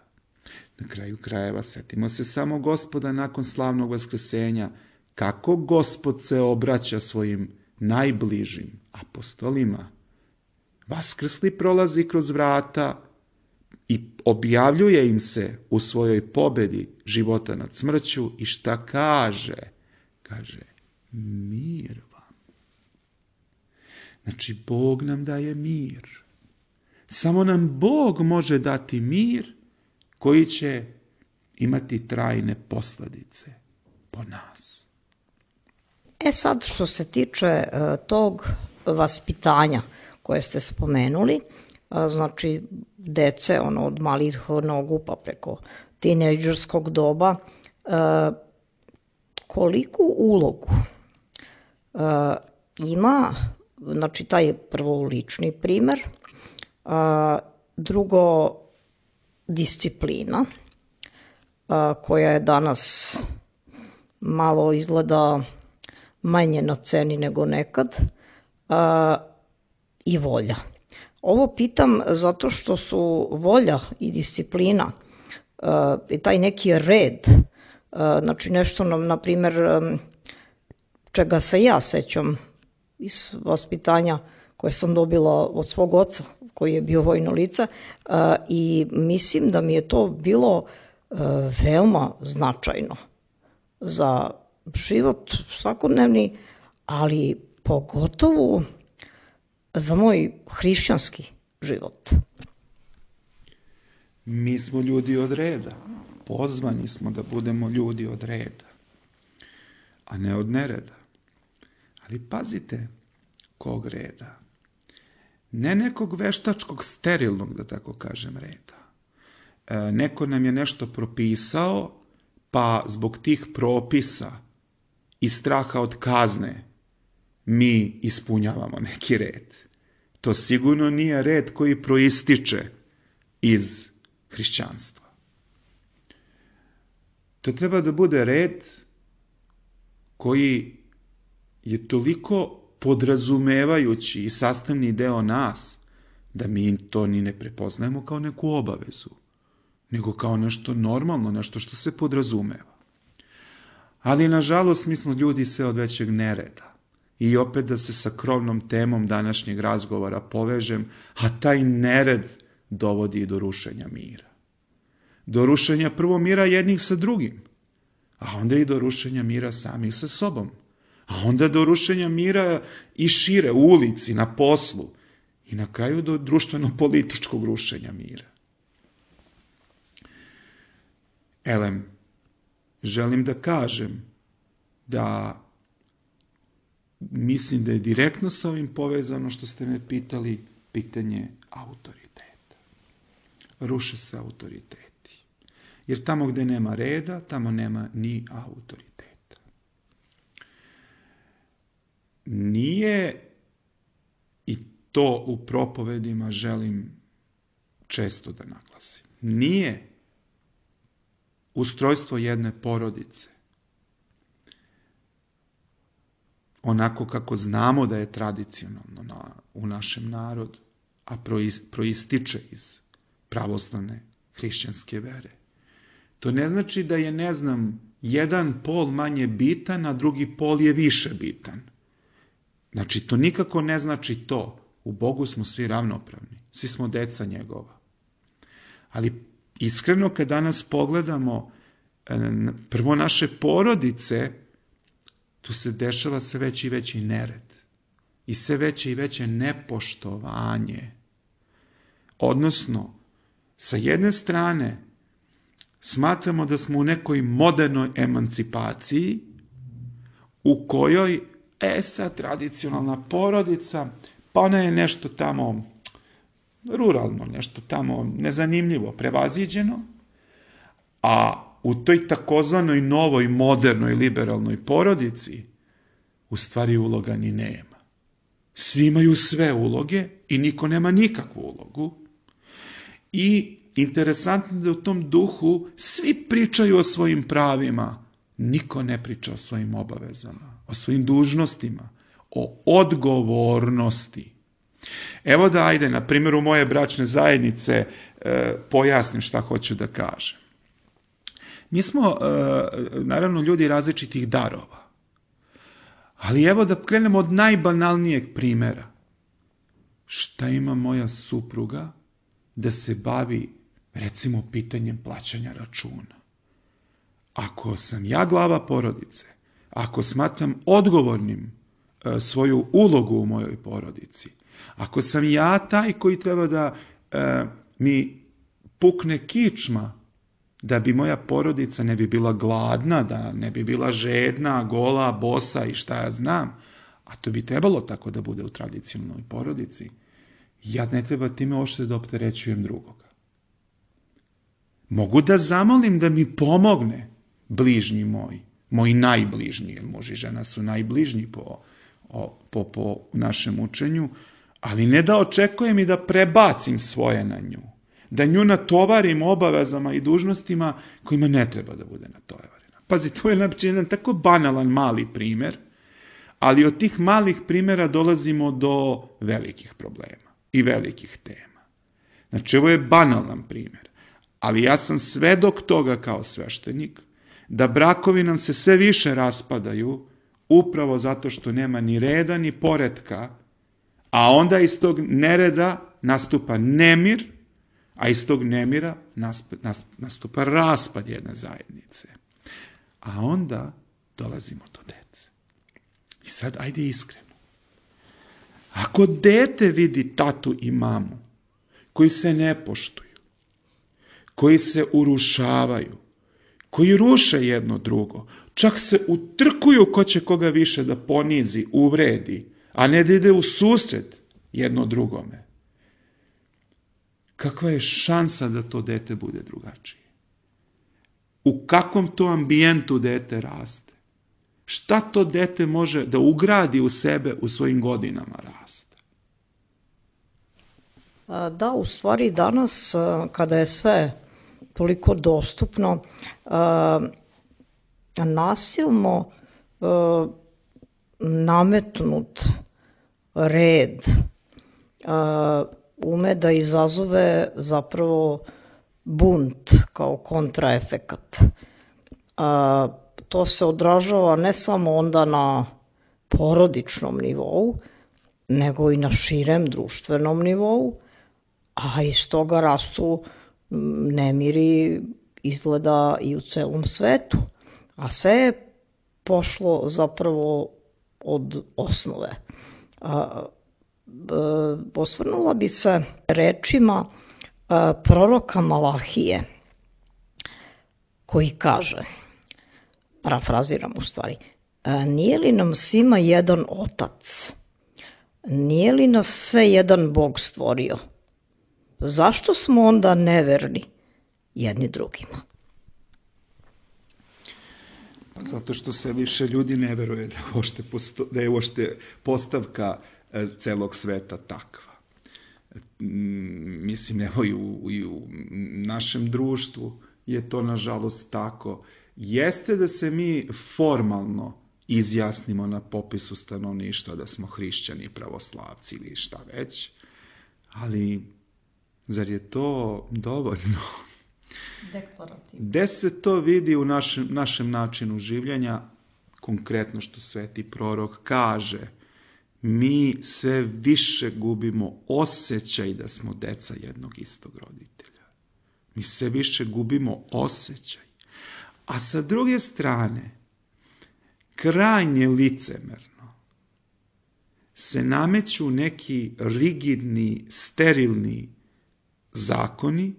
Na kraju krajeva setimo se samo Gospoda nakon slavnog vaskrsenja, kako Gospod se obraća svojim najbližim apostolima. Vaskrsli prolazi kroz vrata i objavljuje im se u svojoj pobedi života nad smrću i šta kaže? Kaže, mir vam. Znači, Bog nam daje mir. Samo nam Bog može dati mir koji će imati trajne posljedice po nas. E sad, što se tiče e, tog vaspitanja koje ste spomenuli, a, znači dece ono, od malih nogu pa preko tinejdžerskog doba, e, koliku ulogu e, ima, znači taj prvo lični primer, a, drugo disciplina, a, koja je danas malo izgleda manje na ceni nego nekad, a, i volja. Ovo pitam zato što su volja i disciplina a, i taj neki red, a, znači nešto, na primjer, čega se ja sećam iz vaspitanja koje sam dobila od svog oca, koji je bio vojno lice, i mislim da mi je to bilo veoma značajno za život svakodnevni, ali pogotovo za moj hrišćanski život. Mi smo ljudi od reda. Pozvani smo da budemo ljudi od reda, a ne od nereda. Ali pazite, kog reda? Ne nekog veštačkog, sterilnog, da tako kažem, reda. E, neko nam je nešto propisao, pa zbog tih propisa i straha od kazne mi ispunjavamo neki red. To sigurno nije red koji proističe iz hrišćanstva. To treba da bude red koji je toliko podrazumevajući i sastavni deo nas, da mi to ni ne prepoznajemo kao neku obavezu, nego kao nešto normalno, nešto što se podrazumeva. Ali, nažalost, mi smo ljudi sve od većeg nereda. I opet da se sa krovnom temom današnjeg razgovora povežem, a taj nered dovodi i do rušenja mira. Do rušenja prvo mira jednih sa drugim, a onda i do rušenja mira samih sa sobom. A onda do rušenja mira i šire, u ulici, na poslu. I na kraju do društveno-političkog rušenja mira. Elem, želim da kažem da mislim da je direktno sa ovim povezano što ste me pitali, pitanje autoriteta. Ruše se autoriteti. Jer tamo gde nema reda, tamo nema ni autoriteta. Nije, i to u propovedima želim često da naglasim, nije ustrojstvo jedne porodice onako kako znamo da je tradicionalno na, u našem narodu, a proističe iz pravoslavne hrišćanske vere. To ne znači da je, ne znam, jedan pol manje bitan, a drugi pol je više bitan. Znači, to nikako ne znači to. U Bogu smo svi ravnopravni. Svi smo deca njegova. Ali iskreno, kad danas pogledamo prvo naše porodice, tu se dešava sve veći i veći nered. I sve veće i veće nepoštovanje. Odnosno, sa jedne strane, smatramo da smo u nekoj modernoj emancipaciji u kojoj, e sad, tradicionalna porodica, pa ona je nešto tamo ruralno, nešto tamo nezanimljivo, prevaziđeno, a u toj takozvanoj novoj, modernoj, liberalnoj porodici u stvari uloga ni nema. Svi imaju sve uloge i niko nema nikakvu ulogu. I interesantno da u tom duhu svi pričaju o svojim pravima, niko ne priča o svojim obavezama, o svojim dužnostima, o odgovornosti. Evo da, ajde, na primjeru moje bračne zajednice e, pojasnim šta hoću da kažem. Mi smo, e, naravno, ljudi različitih darova. Ali evo da krenemo od najbanalnijeg primjera. Šta ima moja supruga da se bavi, recimo, pitanjem plaćanja računa? Ako sam ja glava porodice, ako smatram odgovornim e, svoju ulogu u mojoj porodici, ako sam ja taj koji treba da e, mi pukne kičma, da bi moja porodica ne bi bila gladna, da ne bi bila žedna, gola, bosa i šta ja znam, a to bi trebalo tako da bude u tradicionalnoj porodici, ja ne treba time uopšte da opterećujem drugoga. Mogu da zamolim da mi pomogne bližnji moj, moji najbližnji, jer muž i žena su najbližnji po, po, po našem učenju, ali ne da očekujem i da prebacim svoje na nju, da nju natovarim obavezama i dužnostima kojima ne treba da bude natovarena. Pazi, to je znači jedan tako banalan mali primjer, ali od tih malih primjera dolazimo do velikih problema i velikih tema. Znači, ovo je banalan primjer, ali ja sam svedok toga kao sveštenik, da brakovi nam se sve više raspadaju upravo zato što nema ni reda ni poretka, a onda iz tog nereda nastupa nemir, a iz tog nemira nastupa raspad jedne zajednice. A onda dolazimo do dece. I sad, ajde iskreno. Ako dete vidi tatu i mamu, koji se ne poštuju, koji se urušavaju, koji ruše jedno drugo, čak se utrkuju ko će koga više da ponizi, uvredi, a ne da ide u susret jedno drugome, kakva je šansa da to dete bude drugačije? U kakvom to ambijentu dete raste? Šta to dete može da ugradi u sebe u svojim godinama rasta? Da, u stvari danas, kada je sve toliko dostupno, nasilno nametnut red ume da izazove zapravo bunt kao kontraefekat. To se odražava ne samo onda na porodičnom nivou, nego i na širem društvenom nivou, a iz toga rastu nemiri izgleda i u celom svetu. A sve je pošlo zapravo od osnove. Osvrnula bi se rečima proroka Malahije, koji kaže, parafraziram u stvari, nije li nam svima jedan otac? Nije li nas sve jedan Bog stvorio? Zašto smo onda neverni jedni drugima? Pa zato što se više ljudi ne veruje da, ošte posto, da je uopšte postavka celog sveta takva. Mislim, evo i u, i u našem društvu je to nažalost tako. Jeste da se mi formalno izjasnimo na popisu stanovništva da smo hrišćani, pravoslavci ili šta već, ali zar je to dovoljno? Deklarativno. Gde se to vidi u našem, našem načinu življenja, konkretno što sveti prorok kaže, mi sve više gubimo osjećaj da smo deca jednog istog roditelja. Mi sve više gubimo osjećaj. A sa druge strane, krajnje licemerno se nameću neki rigidni, sterilni zakoni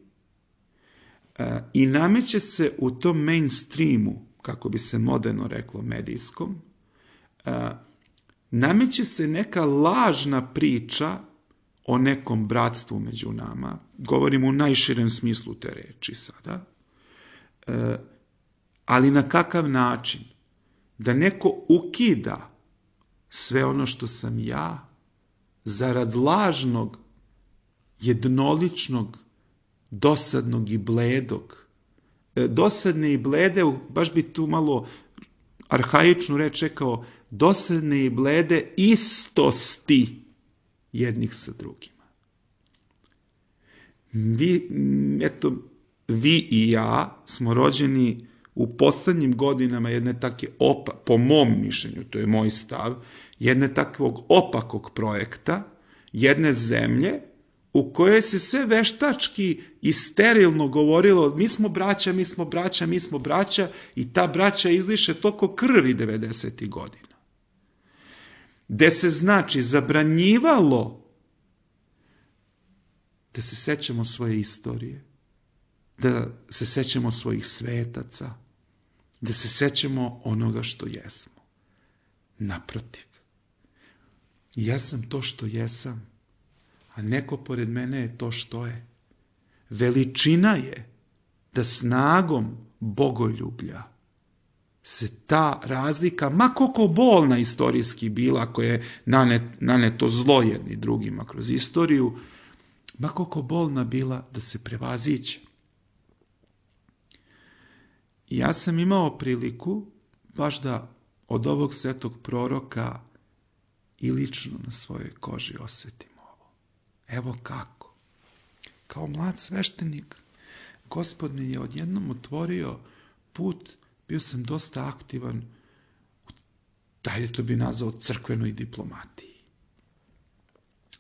I nameće se u tom mainstreamu, kako bi se moderno reklo medijskom, nameće se neka lažna priča o nekom bratstvu među nama. Govorim u najširem smislu te reči sada. Ali na kakav način? Da neko ukida sve ono što sam ja zarad lažnog, jednoličnog, dosadnog i bledog. Dosadne i blede, baš bi tu malo arhaičnu reč rekao, dosadne i blede istosti jednih sa drugima. Vi, eto, vi i ja smo rođeni u poslednjim godinama jedne take, opa, po mom mišljenju, to je moj stav, jedne takvog opakog projekta, jedne zemlje, u kojoj se sve veštački i sterilno govorilo mi smo braća, mi smo braća, mi smo braća i ta braća izliše toliko krvi devedesetih godina. Gde se znači zabranjivalo da se sećamo svoje istorije, da se sećamo svojih svetaca, da se sećamo onoga što jesmo. Naprotiv. Ja sam to što jesam, a neko pored mene je to što je. Veličina je da snagom bogoljublja se ta razlika, ma koliko bolna istorijski bila, ako je naneto zlo jedni drugima kroz istoriju, ma koliko bolna bila da se prevaziće. Ja sam imao priliku baš da od ovog svetog proroka i lično na svojoj koži osetim ovo. Evo kako. Kao mlad sveštenik, Gospod mi je odjednom otvorio put, bio sam dosta aktivan u, dalje to bi nazvao, crkvenoj diplomatiji.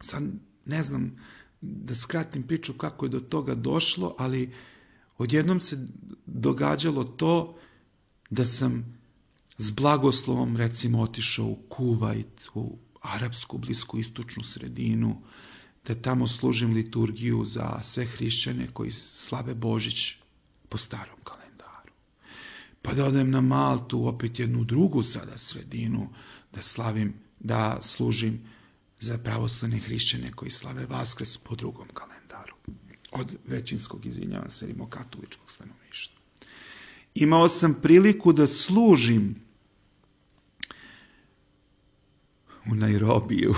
Sad ne znam da skratim priču kako je do toga došlo, ali odjednom se događalo to da sam s blagoslovom recimo otišao u Kuvajt, u arapsku blisku istočnu sredinu, da tamo služim liturgiju za sve hrišćane koji slave Božić po starom kalendaru. Pa da odem na Maltu, opet jednu drugu sada sredinu, da slavim, da služim za pravoslavne hrišćane koji slave Vaskrs po drugom kalendaru. Od većinskog, izvinjavam se, rimokatoličkog stanovništva. Imao sam priliku da služim u Nairobiju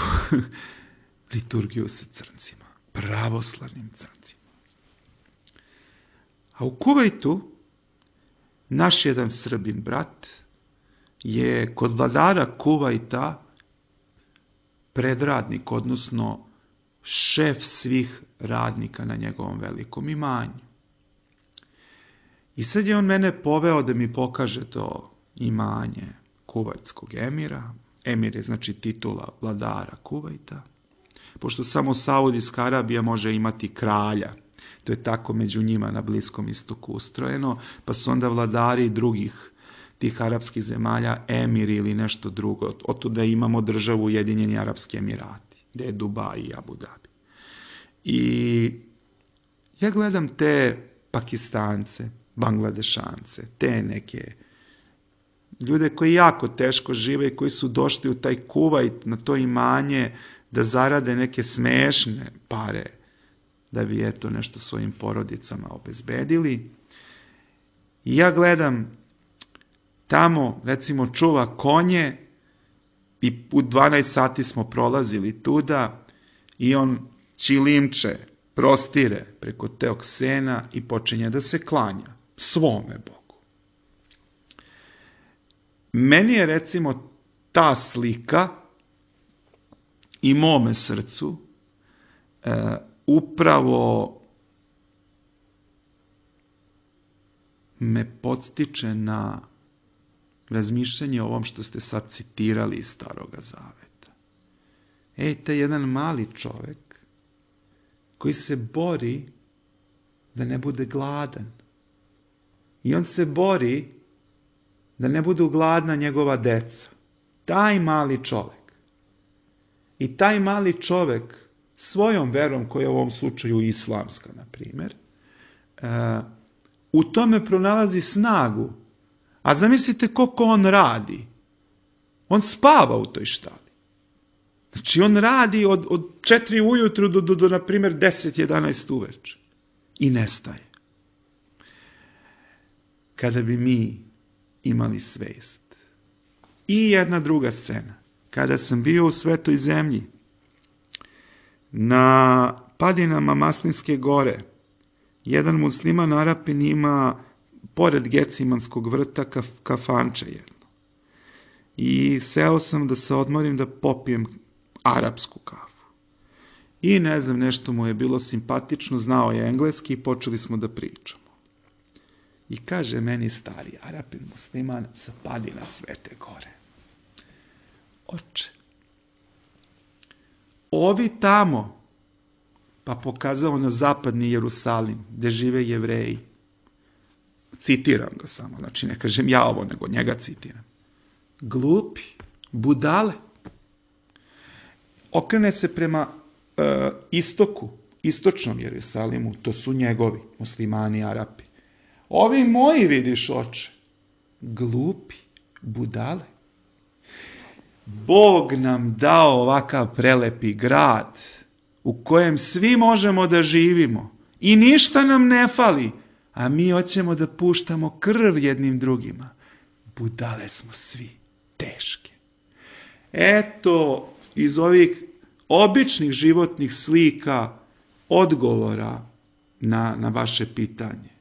liturgiju sa crncima, pravoslavnim crncima. A u Kuvajtu naš jedan Srbin brat je kod vladara Kuvajta predradnik, odnosno šef svih radnika na njegovom velikom imanju. I sad je on mene poveo da mi pokaže to imanje kuvajtskog emira. Emir je znači titula vladara Kuvajta. Pošto samo Saudijska Arabija može imati kralja. To je tako među njima na Bliskom istoku ustrojeno, pa su onda vladari drugih tih arapskih zemalja emiri ili nešto drugo. Otuda imamo državu Ujedinjeni Arapski Emirati, gde je Dubaj i Abu Dhabi. I ja gledam te Pakistance, Bangladešance, te neke ljude koji jako teško žive i koji su došli u taj Kuvajt, na to imanje, da zarade neke smešne pare, da bi eto nešto svojim porodicama obezbedili. I ja gledam, tamo recimo čuva konje i u dvanaest sati smo prolazili tuda i on čilimče prostire preko teog sena i počinje da se klanja svome Bogu. Meni je recimo ta slika i mome srcu e, upravo me podstiče na razmišljanje o ovom što ste sad citirali iz Staroga Zaveta. Ej, taj jedan mali čovek koji se bori da ne bude gladan. I on se bori da ne budu gladna njegova deca. Taj mali čovek. I taj mali čovek svojom verom, koja je u ovom slučaju islamska, na primjer, u tome pronalazi snagu. A zamislite koliko on radi. On spava u toj štali. Znači on radi od, od četiri ujutru do, do, do na primjer, deset jedanaest uveče. I nestaje. Kada bi mi imali svest. I jedna druga scena. Kada sam bio u Svetoj zemlji, na padinama Maslinske gore, jedan musliman Arapin ima pored Gecimanskog vrta kaf, kafanče jedno. I seo sam da se odmorim da popijem arapsku kafu. I ne znam, nešto mu je bilo simpatično, znao je engleski i počeli smo da pričamo. I kaže meni stari Arapin musliman sa padina Svete gore: oče, ovi tamo, pa pokazao na zapadni Jerusalim, gde žive Jevreji. Citiram ga samo, znači ne kažem ja ovo, nego njega citiram. Glupi, budale. Okrene se prema e, istoku, istočnom Jerusalimu, to su njegovi, muslimani, Arapi. Ovi moji, vidiš, oče, glupi, budale. Bog nam dao ovakav prelepi grad u kojem svi možemo da živimo i ništa nam ne fali, a mi hoćemo da puštamo krv jednim drugima. Budale smo svi, teške. Eto, iz ovih običnih životnih slika odgovora na, na vaše pitanje.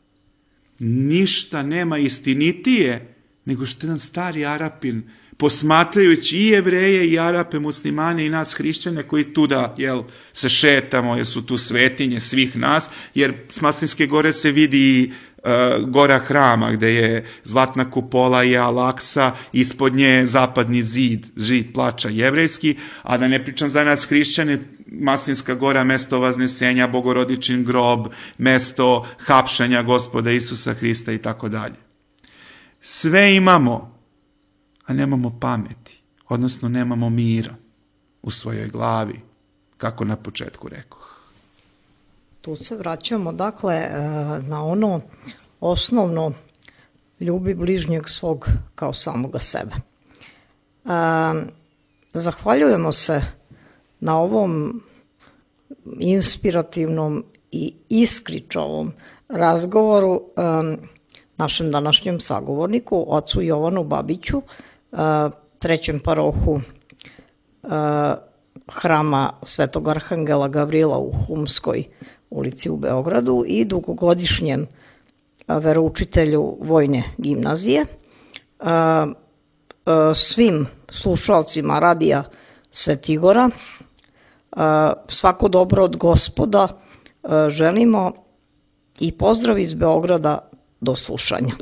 Ništa nema istinitije nego što jedan stari Arapin, posmatrajući i Jevreje i Arape, muslimane i nas hrišćane koji tuda, jel, se šetamo, jer su tu svetinje svih nas, jer s Maslinske gore se vidi uh, gora hrama gde je zlatna kupola i Al-Aksa, ispod nje zapadni zid, zid plača jevrejski, a da ne pričam za nas hrišćane, Maslinska gora, mesto Vaznesenja, Bogorodičin grob, mesto hapšanja Gospoda Isusa Hrista i tako dalje. Sve imamo, a nemamo pameti, odnosno nemamo mira u svojoj glavi, kako na početku rekoh. Tu se vraćamo, dakle, na ono osnovno: ljubi bližnjeg svog kao samoga sebe. Zahvaljujemo se na ovom inspirativnom i iskričovom razgovoru našem današnjem sagovorniku, ocu Jovanu Babiću, trećem parohu hrama Svetog Arhangela Gavrila u Humskoj ulici u Beogradu i dugogodišnjem veroučitelju Vojne gimnazije. Svim slušalcima radija Svetigora svako dobro od Gospoda želimo i pozdrav iz Beograda. Do slušanja.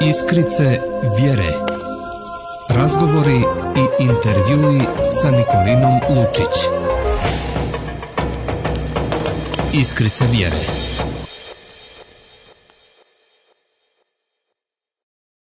Iskrice vjere. Razgovori i intervjui sa Nikolinom Lučić. Iskrice vjere.